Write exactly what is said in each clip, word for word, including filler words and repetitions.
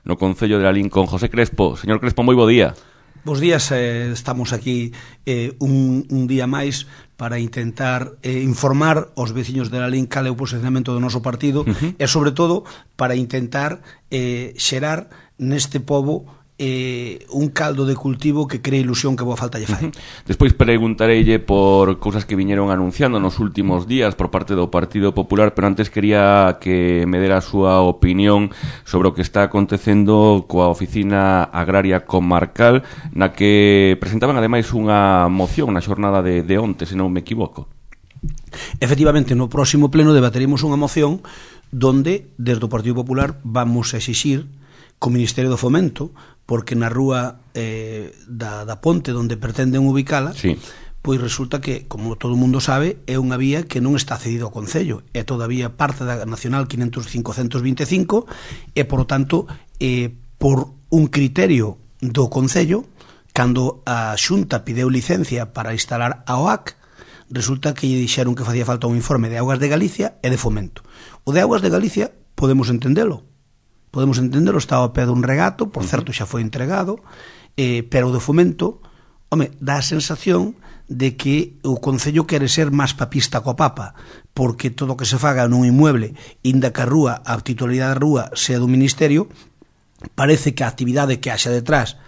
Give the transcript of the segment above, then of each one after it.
no Concello de Lalín con José Crespo. Señor Crespo, moi bo día. Bos días, eh, estamos aquí eh, un, un día máis para intentar eh, informar aos veciños de Lalín cal é o posicionamento do noso partido uh-huh. e, sobre todo, para intentar eh, xerar neste pobo eh, un caldo de cultivo que cree ilusión que boa falta lle fai. Uh-huh. Despois preguntareille por cousas que viñeron anunciando nos últimos días por parte do Partido Popular, pero antes quería que me dera a súa opinión sobre o que está acontecendo coa Oficina Agraria Comarcal, na que presentaban ademais unha moción na xornada de, de onte, se non me equivoco. Efectivamente, no próximo pleno debateremos unha moción donde, desde o Partido Popular, vamos a exixir co Ministerio do Fomento, porque na rúa eh, da, da Ponte onde pretenden ubicala, sí. Pois resulta que, como todo o mundo sabe, é unha vía que non está cedido ao Concello, é todavía parte da Nacional quinhentos quinhentos vinte e cinco e, por lo tanto, eh, por un criterio do Concello, cando a Xunta pideu licencia para instalar a O A C, resulta que lle dixeron que facía falta un informe de Augas de Galicia e de Fomento. O de Augas de Galicia podemos entendelo, podemos entender, está ao pé dun regato, por certo xa foi entregado, eh, pero o de Fomento, home, dá a sensación de que o Concello quere ser máis papista co Papa, porque todo o que se faga nun inmueble, inda que a rúa, a titularidade da rúa sea do Ministerio, parece que a actividade que haxa detrás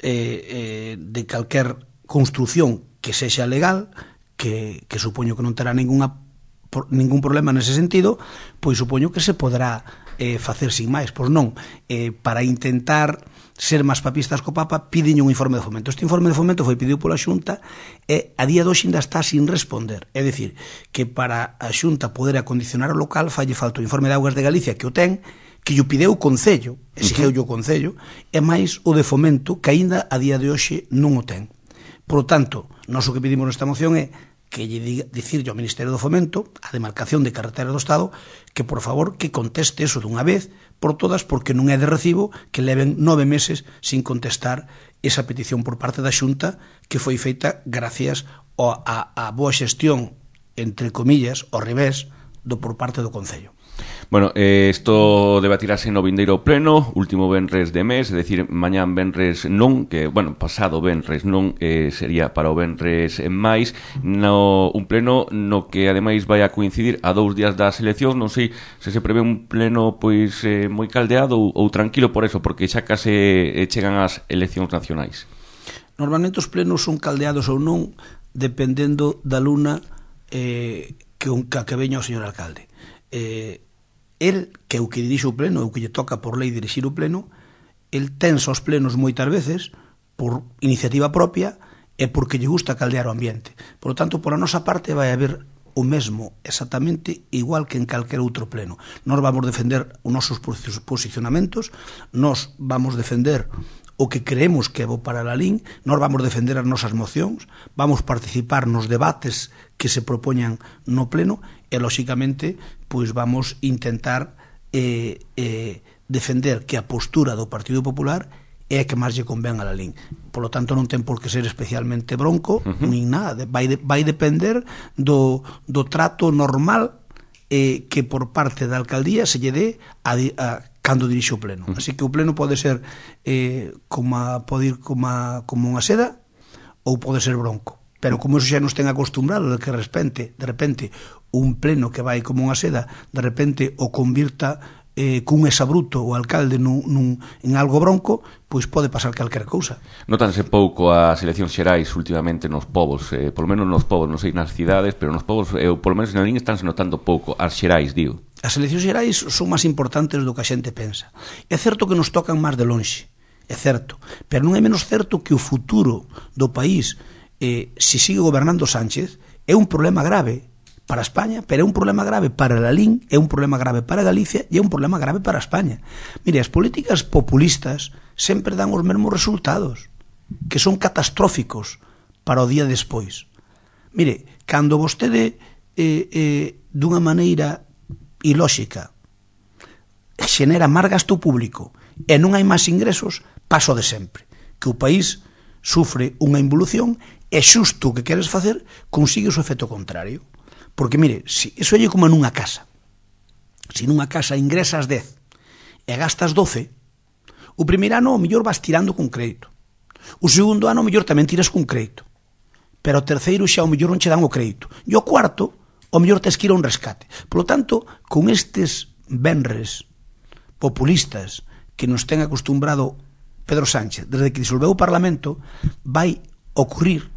eh, eh, de calquer construción que sexa legal, que, que supoño que non terá ninguna, por, ningún problema nese sentido, pois supoño que se poderá Eh, facer sin máis, pois non, eh, para intentar ser máis papistas co Papa piden un informe de Fomento. Este informe de Fomento foi pedido pola Xunta e a día de hoxe ainda está sin responder, é dicir, que para a Xunta poder acondicionar o local falle falta o informe de Augas de Galicia que o ten, que o pideu o Concello, exigeu o Concello, e máis o de Fomento que aínda a día de hoxe non o ten. Por lo tanto, nós o que pedimos nesta moción é que lle diga, dicirlle ao Ministerio do Fomento, a demarcación de carretera do Estado, que por favor que conteste eso dunha vez por todas, porque non é de recibo que leven nove meses sin contestar esa petición por parte da Xunta que foi feita gracias a, a boa xestión, entre comillas, ao revés, do por parte do Concello. Bueno, eh, isto debatirase no vindeiro pleno, último venres de mes, é dicir, mañán venres non, que, bueno, pasado venres non, eh, sería para o venres máis, no, un pleno no que ademais vai a coincidir a dous días das eleccións, non sei se se prevé un pleno pois eh, moi caldeado ou, ou tranquilo por eso, porque xa case eh, chegan as eleccións nacionais. Normalmente os plenos son caldeados ou non, dependendo da luna eh, que, un, que veña o señor alcalde. Eh, el, que é o que dirixe o pleno, o que lle toca por lei dirixir o pleno, el tensa os plenos moitas veces por iniciativa propia e porque lle gusta caldear o ambiente. Por lo tanto, por a nosa parte vai haber o mesmo, exactamente igual que en calquer outro pleno. Nós vamos defender os nosos posicionamentos, nós vamos defender o que creemos que é bo para Lalín, nós vamos defender as nosas mocións, vamos participar nos debates que se propoñan no pleno e, lóxicamente, pois vamos intentar eh, eh, defender que a postura do Partido Popular é a que máis lle convén a Lalín. Por lo tanto, non ten por que ser especialmente bronco, uh-huh. nin nada. Vai, de, vai depender do, do trato normal eh, que por parte da alcaldía se lle dé a, a cando dirixe o pleno. Uh-huh. Así que o pleno pode ser eh, como a, pode ir como, a, como unha seda ou pode ser bronco. Pero como eso xa nos ten acostumbrado de que de repente, de repente un pleno que vai como unha seda de repente o convirta eh, cun exabruto o alcalde nun, nun, en algo bronco, pois pode pasar calquera cousa. Notanse pouco as eleccións xerais últimamente nos povos, eh, polo menos nos povos, non sei nas cidades, pero nos povos, eh, polo menos na Lalín estánse notando pouco as xerais, digo. As eleccións xerais son máis importantes do que a xente pensa. É certo que nos tocan máis de lonxe, é certo, pero non é menos certo que o futuro do país, eh, se sigue gobernando Sánchez, é un problema grave para España, pero é un problema grave para Lalín, é un problema grave para Galicia e é un problema grave para España. Mire, as políticas populistas sempre dan os mesmos resultados, que son catastróficos para o día despois. Mire, cando vostede eh, eh, dunha maneira ilóxica xenera máis gasto público e non hai máis ingresos, paso de sempre, que o país sufre unha involución e xusto o que queres facer consigue o seu efecto contrario. Porque, mire, si, eso é como nunha casa. Se nunha casa ingresas dez e gastas doce, O primeiro ano, ao mellor, vas tirando con crédito. O segundo ano, ao mellor, tamén tiras con crédito. Pero o terceiro xa, ao mellor, non che dan o crédito. E o cuarto, ao mellor, tes que ir a un rescate. Por lo tanto, con estes venres populistas que nos ten acostumbrado Pedro Sánchez, desde que disolveu o Parlamento, vai ocurrir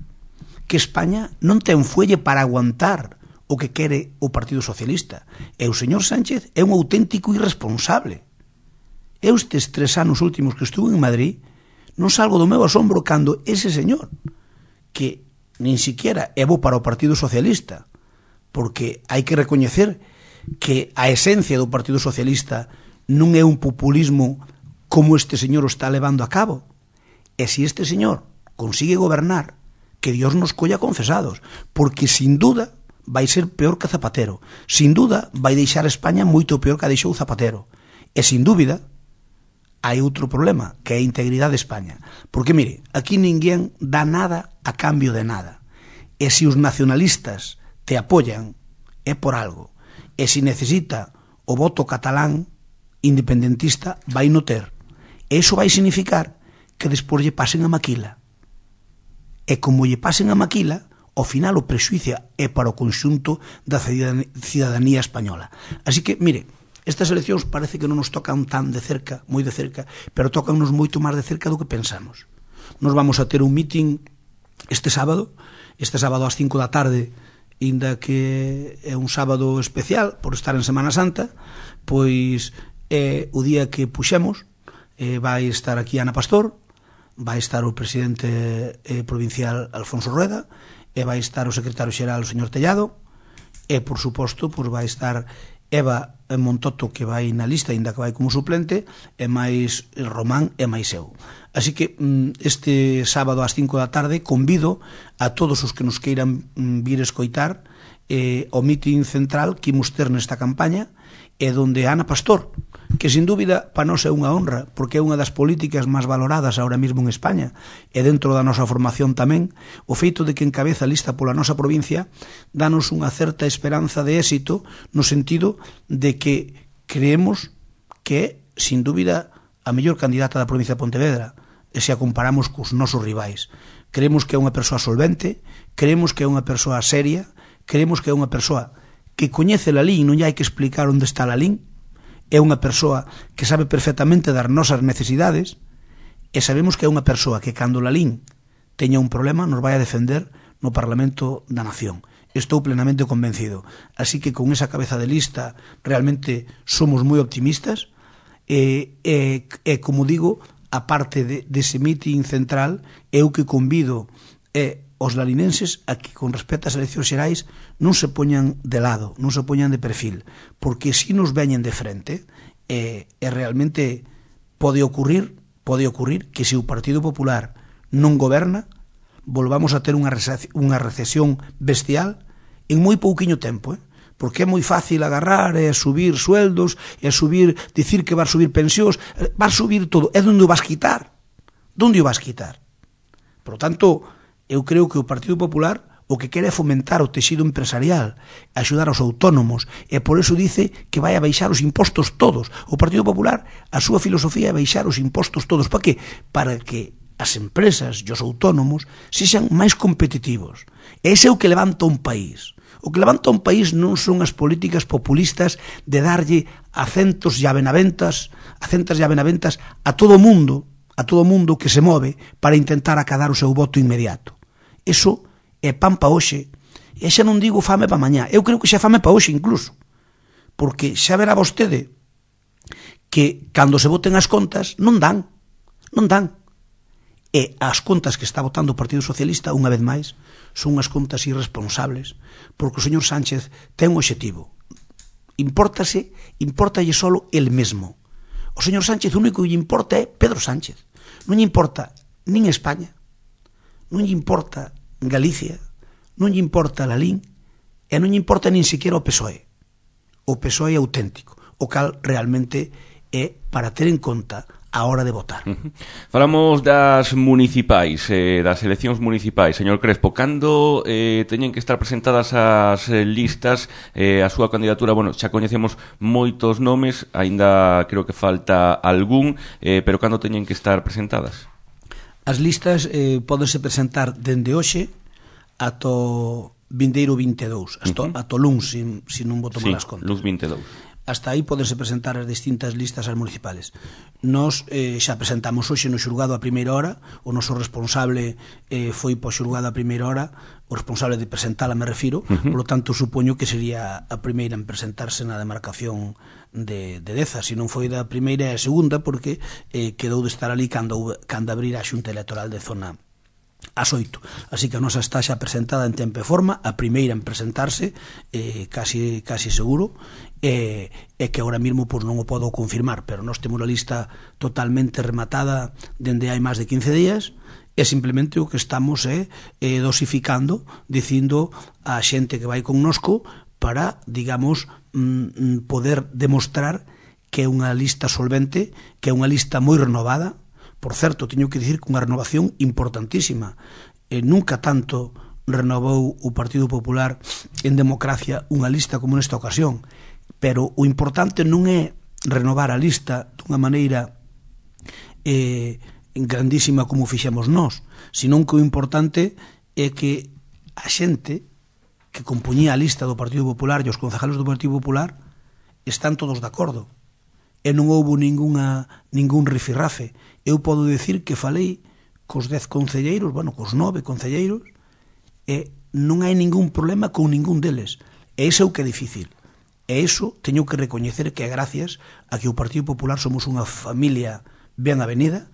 que España non ten fuelle para aguantar o que quere o Partido Socialista. E o señor Sánchez é un auténtico irresponsable. Eu estes tres anos últimos que estuve en Madrid non salgo do meu asombro cando ese señor, que nin siquiera é bo para o Partido Socialista, porque hai que recoñecer que a esencia do Partido Socialista non é un populismo como este señor o está levando a cabo. E se este señor consigue gobernar, que Dios nos colla confesados, porque sin duda vai ser peor que Zapatero, sin duda vai deixar a España moito peor que a deixou Zapatero, e sin dúbida hai outro problema, que é a integridade de España. Porque, mire, aquí ninguén dá nada a cambio de nada. E se os nacionalistas te apoyan, é por algo. E se necesita o voto catalán independentista, vai no ter. E iso vai significar que despois lle pasen a maquila. E como lle pasen a maquila, ao final o prexuicio é para o conxunto da cidadanía española. Así que, mire, estas eleccións parece que non nos tocan tan de cerca, moi de cerca, pero tocannos moito máis de cerca do que pensamos. Nos vamos a ter un meeting este sábado, este sábado ás cinco da tarde, inda que é un sábado especial por estar en Semana Santa, pois é o día que puxemos, eh, vai estar aquí Ana Pastor, vai estar o presidente eh, provincial Alfonso Rueda, e vai estar o secretario xeral o señor Tellado, e por suposto pois vai estar Eva Montoto, que vai na lista, ainda que vai como suplente, e máis Román e máis eu. Así que este sábado ás cinco da tarde convido a todos os que nos queiran vir escoitar eh, o mitin central que imos ter nesta campaña, e donde Ana Pastor, que sin dúbida para nós é unha honra, porque é unha das políticas máis valoradas ahora mesmo en España, e dentro da nosa formación tamén, o feito de que encabeza a lista pola nosa provincia danos unha certa esperanza de éxito, no sentido de que creemos que é, sin dúbida, a mellor candidata da provincia de Pontevedra, e se a comparamos cos nosos rivais. Creemos que é unha persoa solvente, creemos que é unha persoa seria, creemos que é unha persoa que coñece a LIN, non lle hai que explicar onde está a LIN, é unha persoa que sabe perfectamente das nosas necesidades, e sabemos que é unha persoa que cando a LIN teña un problema nos vai a defender no Parlamento da Nación. Estou plenamente convencido. Así que con esa cabeza de lista realmente somos moi optimistas, e, e, e como digo, a parte de, dese mitin central, eu que convido é os lalinenses a que con respecto ás eleccións xerais non se poñan de lado, non se poñan de perfil, porque se nos veñen de frente, e, e realmente pode ocurrir, pode ocurrir que se o Partido Popular non goberna, volvamos a ter unha recesión bestial en moi pouquiño tempo, eh? Porque é moi fácil agarrar e subir sueldos, e subir, dicir que vas subir pensións, vas subir todo, é onde o vas quitar, onde o vas quitar. Por lo tanto, eu creo que o Partido Popular o que quere é fomentar o texido empresarial, axudar aos autónomos, e por eso dice que vai a baixar os impostos todos. O Partido Popular, a súa filosofía é baixar os impostos todos. Para que? Para que as empresas e os autónomos sexan máis competitivos. E ese é o que levanta un país. O que levanta un país non son as políticas populistas de darlle acentos e avenaventas, acentas e avenaventas a todo o mundo, a todo o mundo que se move para intentar acadar o seu voto inmediato. Eso é pan pa hoxe, e xa non digo fame pa mañá, eu creo que xa fame pa hoxe incluso, porque xa verá vostede que cando se voten as contas non dan, non dan, e as contas que está votando o Partido Socialista, unha vez máis, son unhas contas irresponsables, porque o señor Sánchez ten un obxectivo, impórtase, impórtalle solo el mesmo. O señor Sánchez o único que lle importa é Pedro Sánchez, non lle importa nin España, non lle importa Galicia, non lle importa a LIN, e non lle importa nin siquiera o P S O E. O P S O E é auténtico, o cal realmente é para ter en conta a hora de votar. Uh -huh. Falamos das municipais, eh, das eleccións municipais. Señor Crespo, cando eh, teñen que estar presentadas as eh, listas, eh, a súa candidatura, bueno, xa coñecemos moitos nomes, aínda creo que falta algún, eh, pero cando teñen que estar presentadas? As listas eh, podense presentar dende hoxe ato vindeiro vinte e dous, ato, uh -huh. ato luns, se si non voto sí, malas contas. luns vinte e dous. Hasta aí podense presentar as distintas listas ás municipales. Nos eh, xa presentamos hoxe no xulgado a primeira hora, o noso responsable eh, foi po xulgado a primeira hora, o responsable de presentala me refiro, uh -huh. Por lo tanto supoño que sería a primeira en presentarse na demarcación de, de Deza, se non foi da primeira e a segunda, porque eh, quedou de estar ali cando, cando abrir a xunta electoral de zona ás oito. Así que a nosa está xa presentada en tempo e forma, a primeira en presentarse, eh, casi, casi seguro, e eh, que agora mesmo pues, non o podo confirmar, pero nós temos a lista totalmente rematada dende hai máis de quince días, e simplemente o que estamos é eh, dosificando, dicindo a xente que vai connosco para, digamos, mm, poder demostrar que é unha lista solvente, que é unha lista moi renovada. Por certo, teño que dicir que unha renovación importantísima. Eh, nunca tanto renovou o Partido Popular en democracia unha lista como nesta ocasión. Pero o importante non é renovar a lista dunha maneira eh, grandísima como fixemos nós, senón que o importante é que a xente que compoñía a lista do Partido Popular e os concejalos do Partido Popular están todos de acordo. E non houbo ninguna, ningún rifirrafe. Eu podo dicir que falei cos dez concelleiros, bueno, cos nove concelleiros, e non hai ningún problema con ningún deles. E iso é o que é difícil. E iso teño que recoñecer que é gracias a que o Partido Popular somos unha familia ben avenida,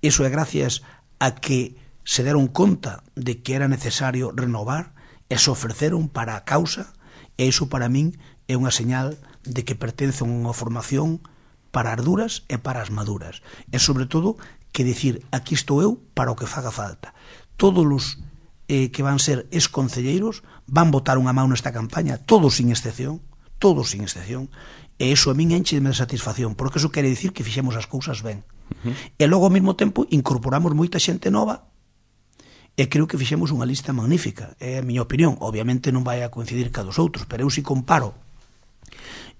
iso é gracias a que se deron conta de que era necesario renovar e se ofreceron para a causa, e iso para min é unha señal de que pertence a unha formación para as duras e para as maduras. E sobre todo que dicir, aquí estou eu para o que faga falta. Todos os eh, que van ser ex-concelleiros van botar unha mão nesta campaña, todos sin excepción, todos sin excepción, e iso a min enche de satisfacción, porque iso quere dicir que fixemos as cousas ben. Uh -huh. E logo ao mesmo tempo incorporamos moita xente nova e creo que fixemos unha lista magnífica, é a miña opinión. Obviamente non vai a coincidir ca dos outros, pero eu si comparo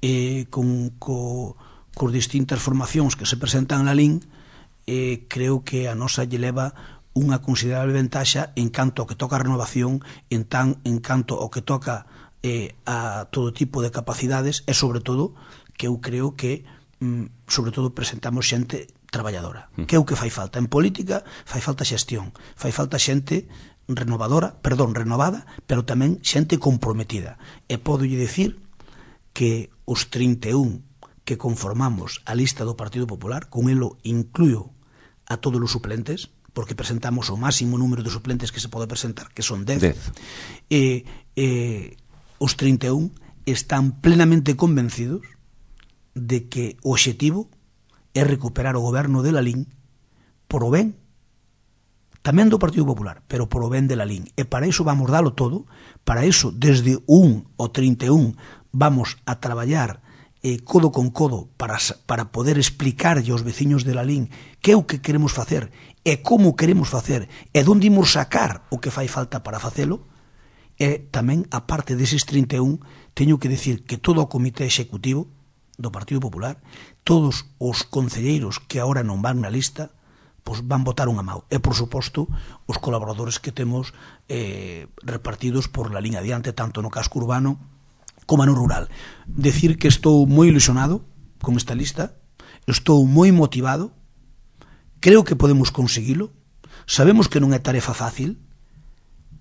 eh, con... co cos distintas formacións que se presentan na L I N, eh, creo que a nosa lle leva unha considerable ventaxa en canto ao que toca a renovación, en, tan, en canto ao que toca eh, a todo tipo de capacidades, e sobre todo que eu creo que mm, sobre todo presentamos xente traballadora, que é o que fai falta en política. Fai falta xestión, fai falta xente renovadora, perdón, renovada, pero tamén xente comprometida. E podo lle dicir que os trinta e un que conformamos a lista do Partido Popular, con elo incluyo a todos os suplentes, porque presentamos o máximo número de suplentes que se pode presentar, que son dez. E, e os trinta e un están plenamente convencidos de que o obxectivo é recuperar o goberno de la L I N por o ben tamén do Partido Popular, pero por o ben de la L I N. E para iso vamos dalo todo, para iso desde un ao trinta e un vamos a traballar eh, codo con codo para, para poder explicarlle aos veciños de la L I N que é o que queremos facer e como queremos facer e onde imos sacar o que fai falta para facelo. E tamén, a parte deses trinta e un, teño que decir que todo o comité executivo do Partido Popular, todos os concelleiros que agora non van na lista, pois van votar unha mão. E, por suposto, os colaboradores que temos eh, repartidos por la liña adiante, tanto no casco urbano como no rural. Decir que estou moi ilusionado con esta lista, estou moi motivado, creo que podemos conseguilo, sabemos que non é tarefa fácil,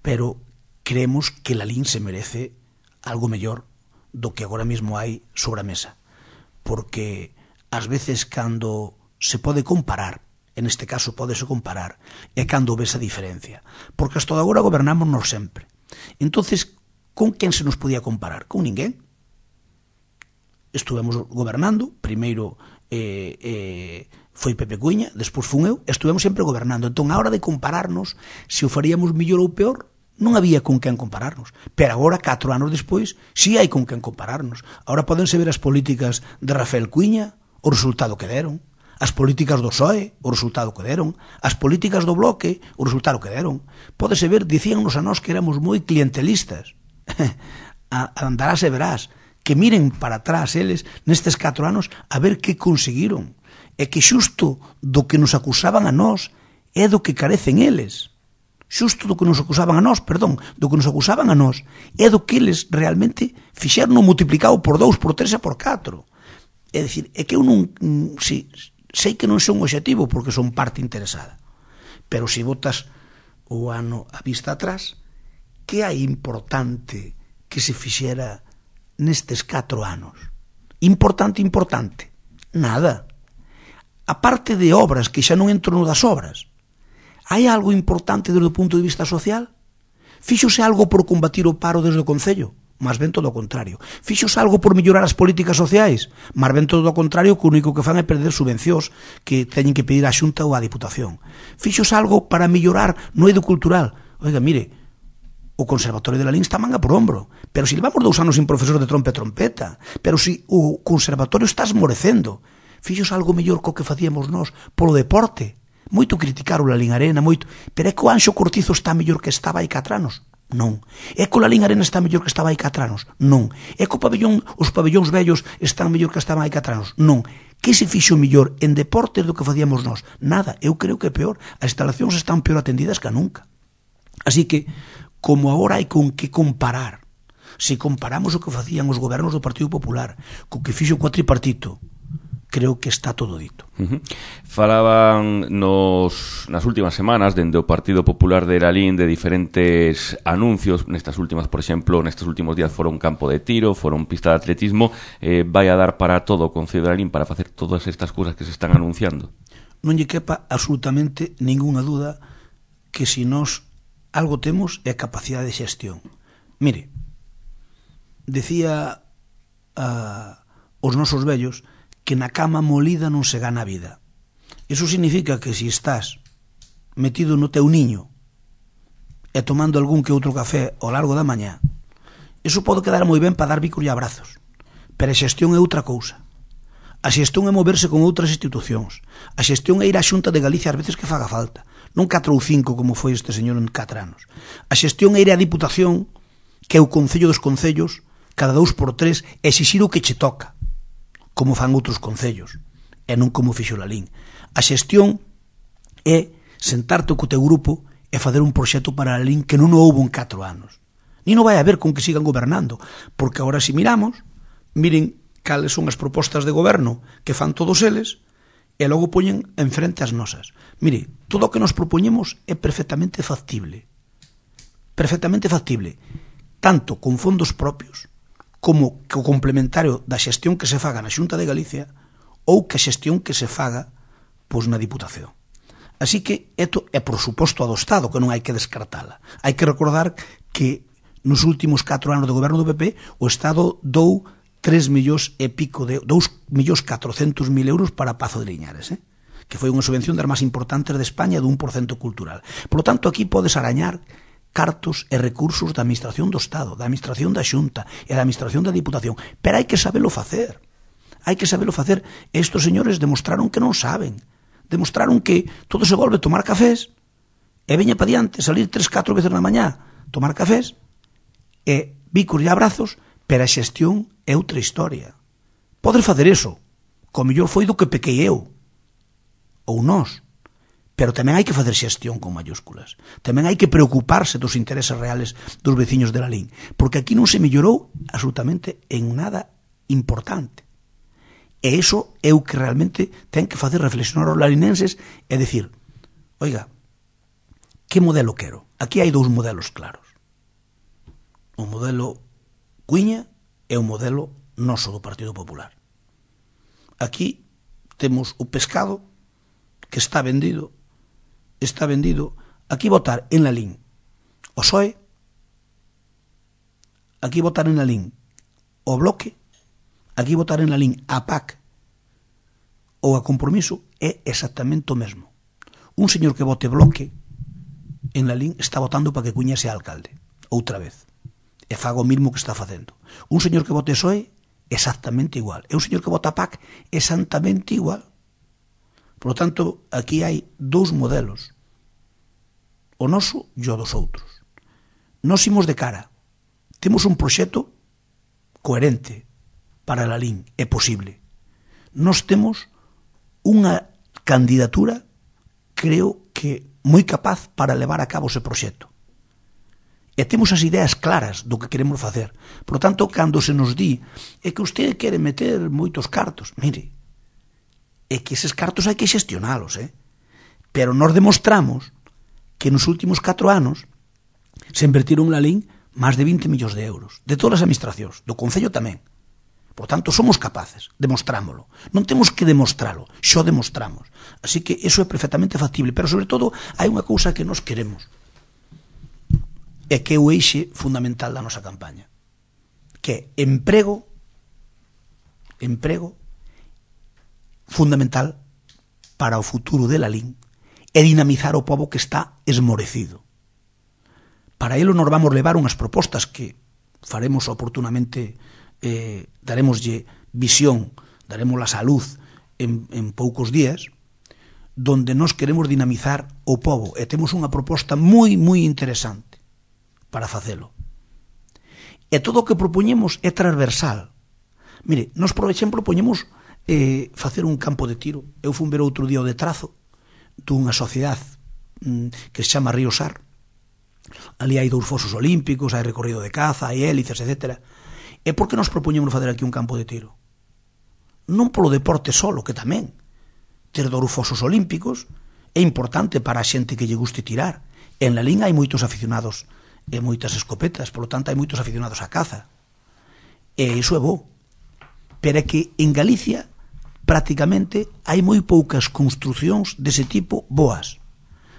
pero creemos que la L I N se merece algo mellor do que agora mesmo hai sobre a mesa, porque ás veces cando se pode comparar, en este caso podese comparar, é cando ves a diferencia, porque hasta agora gobernámonos sempre. Entonces, con quen se nos podía comparar? Con ninguén. Estuvemos gobernando, primeiro eh, eh, foi Pepe Cuña, despois fun eu, estuvemos sempre gobernando. Entón, a hora de compararnos, se o faríamos mellor ou peor, non había con quen compararnos. Pero agora, catro anos despois, si hai con quen compararnos. Agora podense ver as políticas de Rafael Cuña, o resultado que deron. As políticas do P S O E, o resultado que deron. As políticas do Bloque, o resultado que deron. Pódese ver, dicíannos a nós que éramos moi clientelistas. Andarás e verás que miren para atrás eles nestes catro anos a ver que conseguiron. E que xusto do que nos acusaban a nós é do que carecen eles. Xusto do que nos acusaban a nós, perdón, do que nos acusaban a nós, é do que eles realmente fixeron multiplicado por dous, por tres e por catro. É dicir, é que eu non, si, sei que non son objetivo porque son parte interesada, pero se botas o ano a vista atrás, que hai importante que se fixera nestes catro anos? Importante, importante? Nada. A parte de obras, que xa non entro no das obras, hai algo importante desde o punto de vista social? Fíxose algo por combatir o paro desde o Concello? Mas ben todo o contrario. Fíxose algo por mellorar as políticas sociais? Mas ben todo o contrario, que o único que fan é perder subvencións que teñen que pedir á Xunta ou á Diputación. Fíxose algo para mellorar no eido cultural? Oiga, mire, o Conservatorio de Lalín está manga por hombro, pero se levamos dous anos sin profesor de trompa e trompeta, pero se o Conservatorio está esmorecendo, fíxose algo mellor co que facíamos nós polo deporte? Moito criticar o Lalín Arena, moito, pero é que o Anxo Cortizo está mellor que estaba hai catro anos? Non. É que o Lalín Arena está mellor que estaba hai catro anos? Non. É que o pabellón, os pabellóns vellos están mellor que estaban hai catro anos? Non. Que se fixo mellor en deportes do que facíamos nós? Nada. Eu creo que é peor. As instalacións están peor atendidas que nunca. Así que, como agora hai con que comparar, se comparamos o que facían os gobernos do Partido Popular co que fixo o cuatripartito, creo que está todo dito. Uh-huh. Falaban nos, nas últimas semanas dende o Partido Popular de Lalín de diferentes anuncios. Nestas últimas, por exemplo, nestes últimos días foron campo de tiro, foron pista de atletismo. eh, Vai a dar para todo o Concello de Lalín para facer todas estas cousas que se están anunciando? Non lle quepa absolutamente ninguna duda que se nós algo temos é capacidade de xestión. Mire, decía a, os nosos vellos que na cama molida non se gana a vida. Iso significa que se estás metido no teu niño e tomando algún que outro café ao largo da mañá, iso pode quedar moi ben para dar bicos e abrazos, pero a xestión é outra cousa. A xestión é moverse con outras institucións. A xestión é ir á Xunta de Galicia ás veces que faga falta, non catro ou cinco como foi este señor en catro anos. A xestión é ir á Diputación, que é o Concello dos Concellos, cada dous por tres, exixir o que che toca, como fan outros concellos, e non como fixo Lalín. A xestión é sentarte co teu grupo e fazer un proxecto para Lalín que non o houbo en catro anos. Ni non vai haber con que sigan gobernando, porque agora se miramos, miren cales son as propostas de goberno que fan todos eles, e logo poñen en frente as nosas. Mire, todo o que nos propoñemos é perfectamente factible. Perfectamente factible. Tanto con fondos propios, como que o complementario da xestión que se faga na Xunta de Galicia ou que a xestión que se faga pois na Diputación. Así que isto é por suposto a do Estado, que non hai que descartala. Hai que recordar que nos últimos catro anos de goberno do P P o Estado dou tres millóns e pico de dous millóns catrocentos mil euros para Pazo de Liñares, eh? que foi unha subvención das máis importantes de España do un por cento cultural. Por lo tanto, aquí podes arañar cartos e recursos da Administración do Estado, da Administración da Xunta e da Administración da Diputación, pero hai que sabelo facer. Hai que sabelo facer. Estos señores demostraron que non saben. Demostraron que todo se volve tomar cafés e veña pa diante, salir tres, catro veces na mañá, tomar cafés e bicos e abrazos, pero a xestión é outra historia. Podes facer eso, co mellor foi do que pequei eu, ou nós. Pero tamén hai que facer xestión con mayúsculas. Tamén hai que preocuparse dos intereses reales dos veciños de Lalín, porque aquí non se mellorou absolutamente en nada importante. E iso é o que realmente ten que facer reflexionar os lalinenses e decir, oiga, que modelo quero? Aquí hai dous modelos claros. O modelo Cuiña e o modelo noso do Partido Popular. Aquí temos o pescado que está vendido está vendido, aquí votar en Lalín o P S O E, aquí votar en Lalín o Bloque, aquí votar en Lalín a P A C ou a Compromiso é exactamente o mesmo. Un señor que vote Bloque en Lalín está votando para que Cuiña sea alcalde outra vez e faga o mismo que está facendo. Un señor que vote P S O E exactamente igual, e un señor que vota a P A C exactamente igual. Por lo tanto, aquí hai dous modelos, o noso e o dos outros. Nos imos de cara, temos un proxecto coherente para a Lalín, é posible. Nos temos unha candidatura, creo que moi capaz para levar a cabo ese proxecto. E temos as ideas claras do que queremos facer. Por lo tanto, cando se nos di é que usted quere meter moitos cartos, mire, é que eses cartos hai que xestionalos, eh? Pero nos demostramos que nos últimos catro anos se invertiron na Lalín máis de vinte millóns de euros, de todas as administracións, do Concello tamén. Por tanto, somos capaces, demostrámoslo. Non temos que demostralo, xo demostramos. Así que eso é perfectamente factible, pero sobre todo hai unha cousa que nos queremos, e que é o eixe fundamental da nosa campaña, que é emprego, emprego fundamental para o futuro de Lalín e dinamizar o pobo que está esmorecido. Para elo nos vamos levar unhas propostas que faremos oportunamente, eh, daremoslle visión, daremos a luz en, en poucos días, donde nos queremos dinamizar o pobo e temos unha proposta moi, moi interesante para facelo. E todo o que propoñemos é transversal. Mire, nos, por exemplo, propoñemos eh, facer un campo de tiro. Eu fui ver outro día o de Trazo dunha sociedade mm, que se chama Río Sar. Ali hai dous fosos olímpicos, hai recorrido de caza, hai hélices, etcétera. E por que nos propoñemos facer aquí un campo de tiro? Non polo deporte solo, que tamén. Ter dous fosos olímpicos é importante para a xente que lle guste tirar. En Lalín hai moitos aficionados e moitas escopetas, polo tanto hai moitos aficionados á caza. E iso é bo. Pero é que en Galicia prácticamente hai moi poucas construcións dese tipo boas.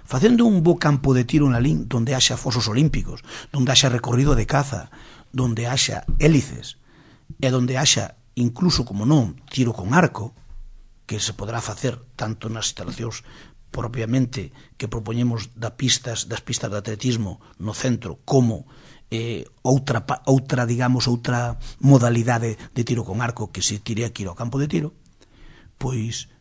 Facendo un bo campo de tiro en Lalín, donde haxa fosos olímpicos, donde haxa recorrido de caza, donde haxa hélices, e donde haxa, incluso como non, tiro con arco, que se podrá facer tanto nas instalacións propiamente que propoñemos da pistas, das pistas de atletismo no centro, como eh, outra, outra, digamos, outra modalidade de tiro con arco que se tire aquí ao campo de tiro. Pois,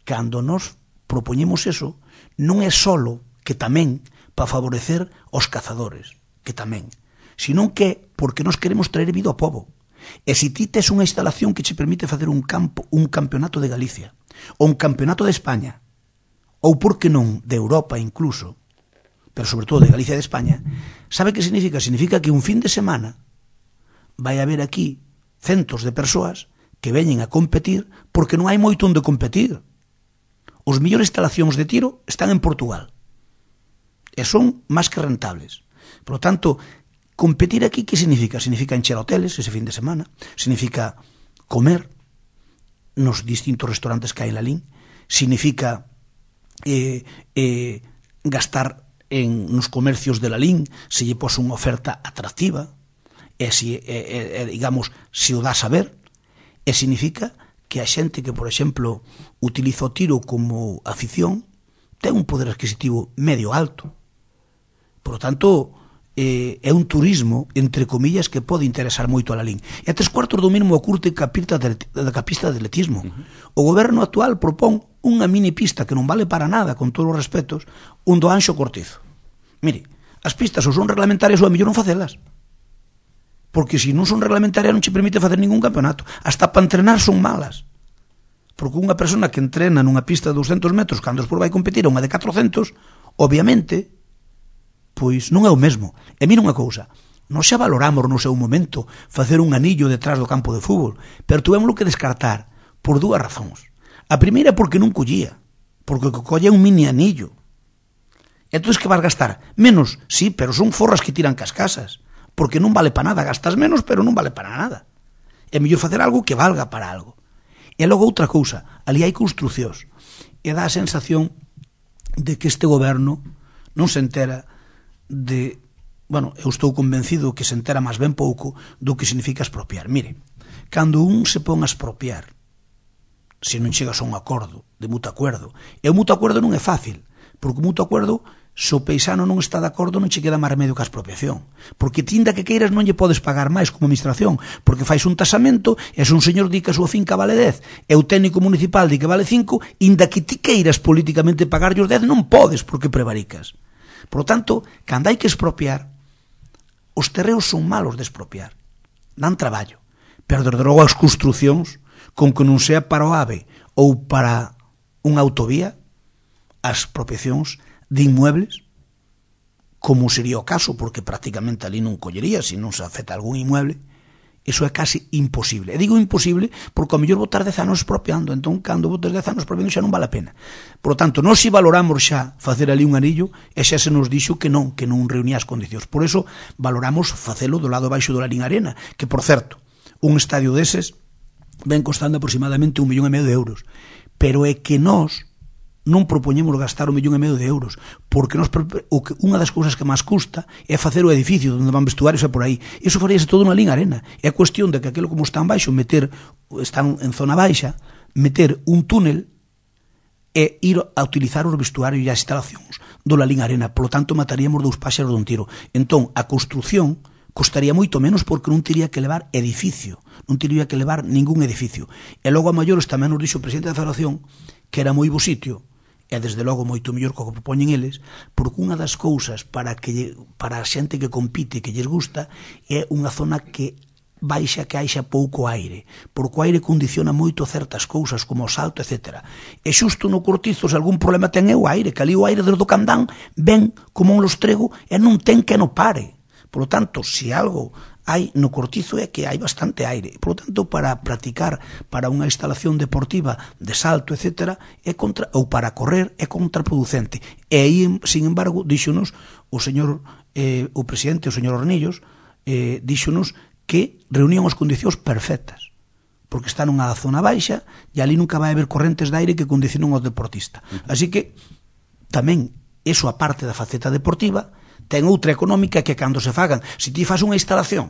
cando nos propoñemos eso, non é solo que tamén para favorecer os cazadores, que tamén, sino que porque nos queremos traer vida ao pobo. E se ti tes unha instalación que che permite facer un campo, un campeonato de Galicia, ou un campeonato de España, ou por que non de Europa incluso, pero sobre todo de Galicia e de España, sabe que significa? Significa que un fin de semana vai haber aquí centos de persoas que veñen a competir porque non hai moito onde competir. Os millores instalacións de tiro están en Portugal e son máis que rentables. Por lo tanto, competir aquí, que significa? Significa encher hoteles ese fin de semana, significa comer nos distintos restaurantes que hai en Lalín, significa eh, eh, gastar en nos comercios de Lalín se lle pos unha oferta atractiva e, si, e, e, digamos, se o dá a saber, e significa que a xente que, por exemplo, utiliza o tiro como afición ten un poder adquisitivo medio alto. Por lo tanto, eh, é un turismo, entre comillas, que pode interesar moito a Lalín. E a tres cuartos do mínimo ocurte ca pista de, da pista de atletismo. Uh-huh. O goberno actual propón unha mini pista que non vale para nada, con todos os respetos, un do Anxo Cortizo. Mire, as pistas ou son reglamentarias ou a mellor non facelas. Porque se non son reglamentarias non che permite facer ningún campeonato. Hasta para entrenar son malas. Porque unha persona que entrena nunha pista de doscientos metros cando despois vai competir a unha de catrocentos, obviamente, pois non é o mesmo. E mira unha cousa, nós xa valoramos no seu momento facer un anillo detrás do campo de fútbol, pero tuvémoslo que descartar por dúas razóns. A primeira é porque non collía, porque o que colle é un mini anillo. Entón, que vas gastar? Menos, sí, pero son forras que tiran cas casas. Porque non vale para nada, gastas menos, pero non vale para nada. É mellor facer algo que valga para algo. E logo outra cousa, ali hai construcións, e dá a sensación de que este goberno non se entera de, bueno, eu estou convencido que se entera máis ben pouco do que significa expropiar. Mire, cando un se pon a expropiar, se non chegas a un acordo de mutuo acuerdo, e o mutuo acuerdo non é fácil, porque o mutuo acuerdo se o paisano non está de acordo non che queda máis remedio que a expropiación, porque tinda que queiras non lle podes pagar máis como administración, porque fais un tasamento e se un señor di que a súa finca vale dez e o técnico municipal di que vale cinco, inda que ti queiras políticamente pagar os dez non podes porque prevaricas. Por lo tanto, cando hai que expropiar, os terreos son malos de expropiar, dan traballo, pero desde logo as construcións, con que non sea para o AVE ou para unha autovía, as expropiacións de inmuebles, como sería o caso, porque prácticamente ali non collería se non se afecta algún inmueble, iso é casi imposible. E digo imposible porque ao mellor botar dez anos expropiando, entón cando botas dez anos expropiando xa non vale a pena. Por lo tanto, nós si valoramos xa facer ali un anillo e xa se nos dixo que non, que non reunía as condicións. Por eso valoramos facelo do lado baixo do Lalín Arena, que por certo, un estadio deses ven costando aproximadamente un millón e medio de euros, pero é que nós non propoñemos gastar un millón e medio de euros, porque nos, o que, unha das cousas que máis custa é facer o edificio onde van vestuarios e por aí. Iso faríase todo na Lalín Arena. É a cuestión de que aquilo como está en baixo, meter, están en zona baixa, meter un túnel e ir a utilizar os vestuarios e as instalacións do Lalín Arena. Por lo tanto, mataríamos dous páxaros dun tiro. Entón, a construción costaría moito menos porque non teria que levar edificio, non teria que levar ningún edificio. E logo a maiores tamén nos dixo o presidente da Federación que era moi bo sitio, e desde logo moito mellor co que propoñen eles, porque unha das cousas para que para a xente que compite que lles gusta é unha zona que baixa, que haixa pouco aire, porque o aire condiciona moito certas cousas como o salto, etcétera. E xusto no Cortizo, se algún problema ten é o aire, que ali o aire desde o Candán ven como un lostrego e non ten que no pare. Por lo tanto, se algo hai no Cortizo é que hai bastante aire. Por lo tanto, para practicar para unha instalación deportiva de salto, etcétera, é contra, ou para correr, é contraproducente. E aí, sin embargo, díxonos o señor, eh, o presidente, o señor Hornillos, eh, díxonos que reunían as condicións perfectas, porque está nunha zona baixa e ali nunca vai haber correntes de aire que condicionen ao deportista. Así que, tamén, eso a parte da faceta deportiva, ten outra económica que cando se fagan, se ti faz unha instalación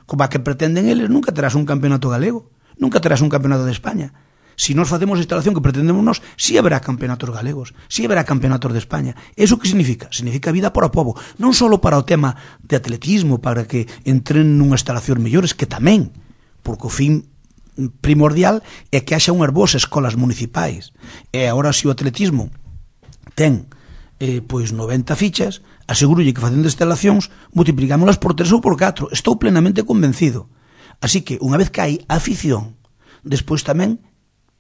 como a que pretenden eles, nunca terás un campeonato galego, nunca terás un campeonato de España. Se nós facemos a instalación que pretendemos nós, si haberá campeonatos galegos, si haberá campeonatos de España. Eso que significa? Significa vida para o povo, non só para o tema de atletismo, para que entren nunha instalación mellores, que tamén, porque o fin primordial é que haxa unhas boas escolas municipais. E agora, se o atletismo ten eh, pois noventa fichas, asegurolle que facendo instalacións multiplicámolas por tres ou por catro. Estou plenamente convencido. Así que, unha vez que hai afición, despois tamén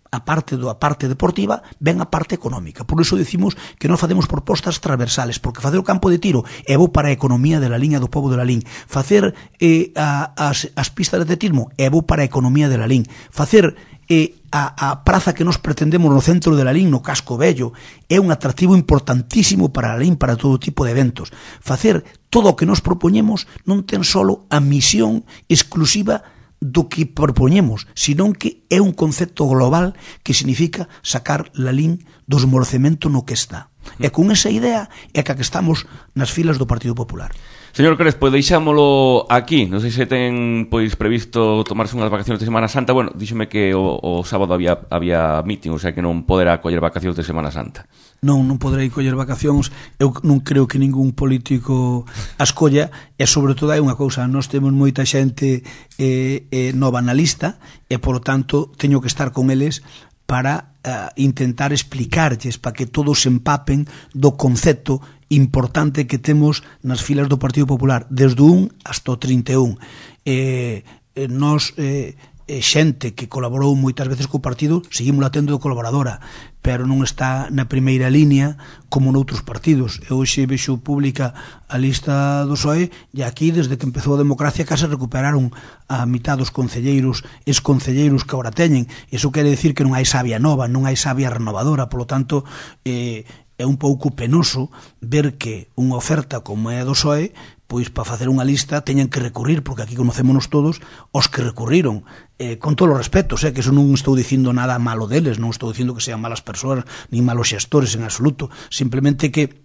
a parte do a parte deportiva ven a parte económica. Por iso decimos que non facemos propostas transversales, porque facer o campo de tiro é bo para a economía de la liña do pobo de Lalín. Facer eh, a, as, as pistas de atletismo é bo para a economía de Lalín. Facer eh, a, a praza que nos pretendemos no centro de Lalín, no casco vello, é un atractivo importantísimo para Lalín, para todo tipo de eventos. Facer todo o que nos propoñemos non ten solo a misión exclusiva do que propoñemos, senón que é un concepto global que significa sacar Lalín do esmorecemento no que está. E con esa idea é que estamos nas filas do Partido Popular. Señor Crespo, deixámolo aquí. Non sei se ten pois previsto tomarse unhas vacacións de Semana Santa. Bueno, díxome que o, o sábado había, había meeting, o sea que non poderá coller vacacións de Semana Santa. Non, non poderei coller vacacións. Eu non creo que ningún político as colla. E sobre todo hai unha cousa, nós temos moita xente eh, eh, nova na lista e, por lo tanto, teño que estar con eles para uh, intentar explicarlles, para que todos se empapen do concepto importante que temos nas filas do Partido Popular, desde o un hasta o trinta e un. Eh, eh, nos, eh, eh, xente que colaborou moitas veces co partido, seguimos la tendo de colaboradora, pero non está na primeira línea como noutros partidos. Eu hoxe vexo pública a lista do P S O E e aquí, desde que empezou a democracia, case recuperaron a mitad dos concelleiros, ex-concelleiros que agora teñen. Iso quere decir que non hai sabia nova, non hai sabia renovadora, polo tanto, eh, é un pouco penoso ver que unha oferta como é a do P S O E, pois para facer unha lista teñen que recurrir, porque aquí conocémonos todos os que recurriron, eh, con todos os respetos, eh, que eso non estou dicindo nada malo deles, non estou dicindo que sean malas persoas, nin malos xestores en absoluto, simplemente que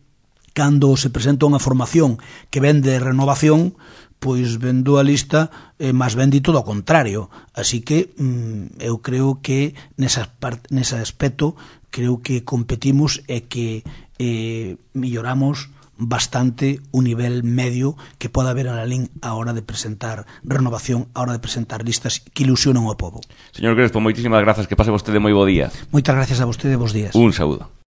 cando se presenta unha formación que ven de renovación, pois vendo a lista, eh, máis ben di todo ao contrario. Así que mm, eu creo que nesa, nese aspecto creo que competimos e que eh, milloramos bastante un nivel medio que poda haber na Lalín a hora de presentar renovación, a hora de presentar listas que ilusionan ao povo. Señor Crespo, moitísimas grazas, que pase vostede moi bo día. Moitas gracias a vostede, bos días. Un saúdo.